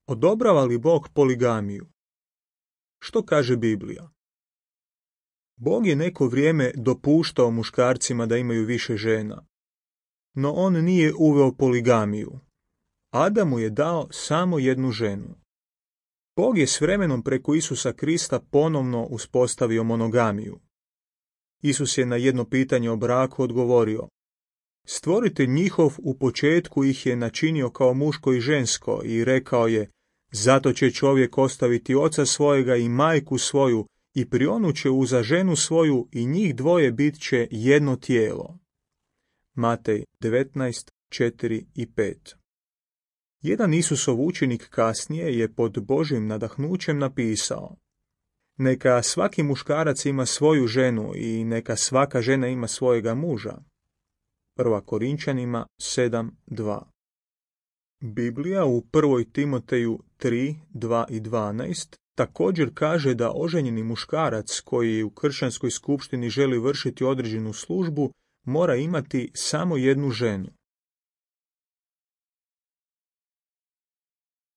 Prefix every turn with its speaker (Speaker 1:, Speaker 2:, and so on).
Speaker 1: Odobrava li Bog poligamiju? Što kaže Biblija? Bog je neko vrijeme dopuštao muškarcima da imaju više žena, no on nije uveo poligamiju. Adamu je dao samo jednu ženu. Bog je s vremenom preko Isusa Krista ponovno uspostavio monogamiju. Isus je na jedno pitanje o braku odgovorio: Stvoritelj njihov u početku ih je načinio kao muško i žensko i rekao je: Zato će čovjek ostaviti oca svojega i majku svoju i prionut će uza ženu svoju i njih dvoje bit će jedno tijelo. Matej 19:4 i 5. Jedan Isusov učenik kasnije je pod Božjim nadahnućem napisao: Neka svaki muškarac ima svoju ženu i neka svaka žena ima svojega muža. 1. Korinčanima 7:2. Biblija u 1. Timoteju 3:2 i 12 također kaže da oženjeni muškarac koji u kršćanskoj skupštini želi vršiti određenu službu mora imati samo jednu ženu.